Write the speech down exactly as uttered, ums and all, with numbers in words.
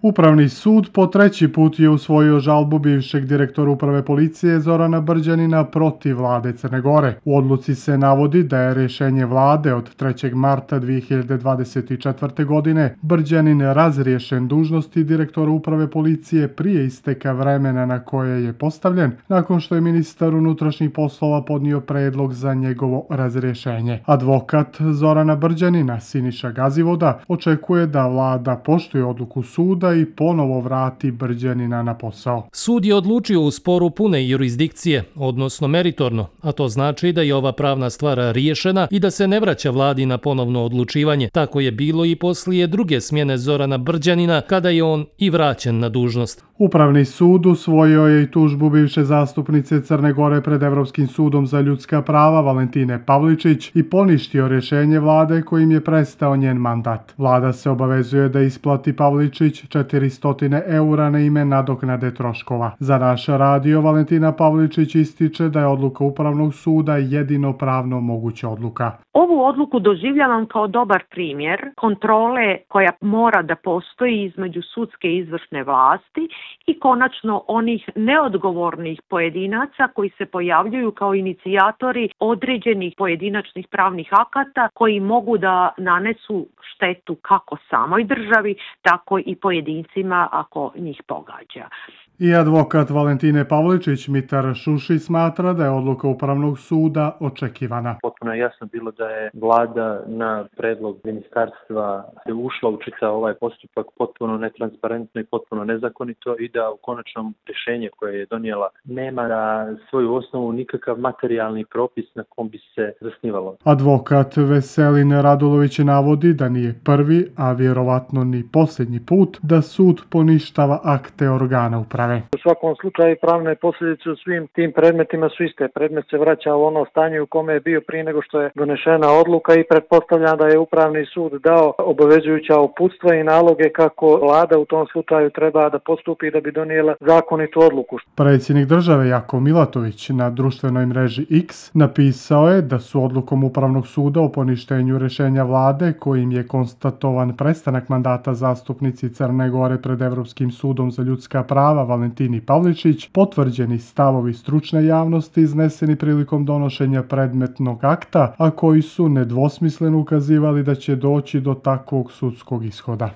Upravni sud po treći put je usvojio žalbu bivšeg direktora uprave policije Zorana Brđanina protiv vlade Crne Gore. U odluci se navodi da je rješenje vlade od trećeg marta dvije hiljade dvadeset četvrte. godine Brđanin razriješen dužnosti direktora uprave policije prije isteka vremena na koje je postavljen, nakon što je ministar unutrašnjih poslova podnio predlog za njegovo razrješenje. Advokat Zorana Brđanina, Siniša Gazivoda, očekuje da vlada poštuje odluku suda i ponovo vrati Brđanina na posao. Sud je odlučio u sporu pune jurisdikcije, odnosno meritorno, a to znači da je ova pravna stvar riješena i da se ne vraća vladi na ponovno odlučivanje. Tako je bilo i poslije druge smjene Zorana Brđanina, kada je on i vraćen na dužnost. Upravni sud usvojio je i tužbu bivše zastupnice Crne Gore pred Evropskim sudom za ljudska prava Valentine Pavličić i poništio rješenje vlade kojim je prestao njen mandat. Vlada se obavezuje da isplati Pavličić četiristo eura na ime nadoknade troškova. Za naš radio Valentina Pavličić ističe da je odluka Upravnog suda jedino pravno moguća odluka. Ovu odluku doživljavam kao dobar primjer kontrole koja mora da postoji između sudske i izvršne vlasti i konačno onih neodgovornih pojedinaca koji se pojavljuju kao inicijatori određenih pojedinačnih pravnih akata koji mogu da nanesu štetu kako samoj državi, tako i pojedincima ako njih pogađa. I advokat Valentine Pavličić Mitar Šuši smatra da je odluka Upravnog suda očekivana. Potpuno je jasno bilo da je vlada na predlog ministarstva ušla u čitav ovaj postupak potpuno netransparentno i potpuno nezakonito i da u konačnom rješenje koje je donijela nema na svoju osnovu nikakav materijalni propis na kom bi se zasnivalo. Advokat Veselin Radulović navodi da nije prvi, a vjerovatno ni posljednji put da sud poništava akte organa uprave. U svakom slučaju pravne posljedice u svim tim predmetima su iste. Predmet se vraća u ono stanje u kome je bio prije nego što je donešena odluka i pretpostavljam da je Upravni sud dao obavezujuća uputstva i naloge kako vlada u tom slučaju treba da postupi da bi donijela zakonitu odluku. Predsjednik države Jakov Milatović na društvenoj mreži X napisao je da su odlukom Upravnog suda o poništenju rješenja vlade kojim je konstatovan prestanak mandata zastupnici Crne Gore pred Evropskim sudom za ljudska prava Valentini Pavličić potvrđeni stavovi stručne javnosti izneseni prilikom donošenja predmetnog akta, a koji su nedvosmisleno ukazivali da će doći do takvog sudskog ishoda.